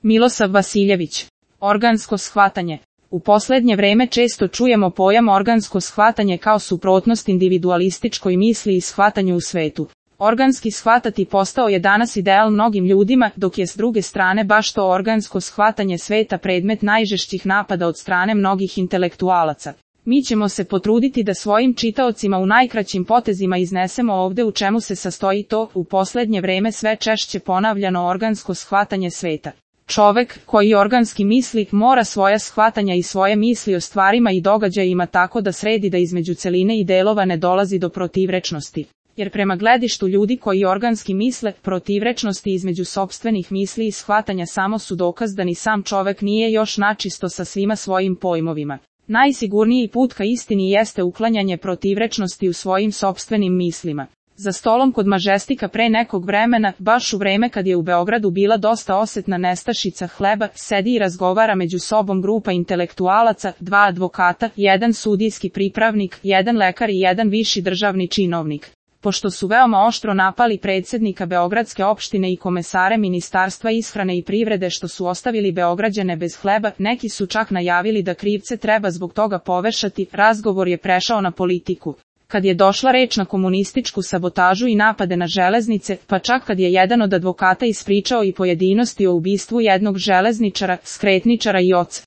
Milosav Vasiljević. Organsko shvatanje. U posljednje vreme često čujemo pojam organsko shvatanje kao suprotnost individualističkoj misli i shvatanju u svetu. Organski shvatati postao je danas ideal mnogim ljudima, dok je s druge strane baš to organsko shvatanje sveta predmet najžešćih napada od strane mnogih intelektualaca. Mi ćemo se potruditi da svojim čitaocima u najkraćim potezima iznesemo ovdje u čemu se sastoji to, u posljednje vreme sve češće ponavljano organsko shvatanje sveta. Čovek, koji organski misli, mora svoja shvatanja i svoje misli o stvarima i događajima tako da sredi da između celine i delova ne dolazi do protivrečnosti. Jer prema gledištu ljudi koji organski misle, protivrečnosti između sopstvenih misli i shvatanja samo su dokaz da ni sam čovek nije još načisto sa svima svojim pojmovima. Najsigurniji put ka istini jeste uklanjanje protivrečnosti u svojim sopstvenim mislima. Za stolom kod Mažestika pre nekog vremena, baš u vreme kad je u Beogradu bila dosta osetna nestašica hleba, sedi i razgovara među sobom grupa intelektualaca, 2 advokata, 1 sudijski pripravnik, 1 lekar i 1 viši državni činovnik. Pošto su veoma oštro napali predsjednika Beogradske opštine i komesare Ministarstva ishrane i privrede što su ostavili Beograđane bez hleba, neki su čak najavili da krivce treba zbog toga povešati, razgovor je prešao na politiku. Kad je došla reč na komunističku sabotažu i napade na železnice, pa čak kad je jedan od advokata ispričao i pojedinosti o ubistvu jednog železničara, skretničara i oca,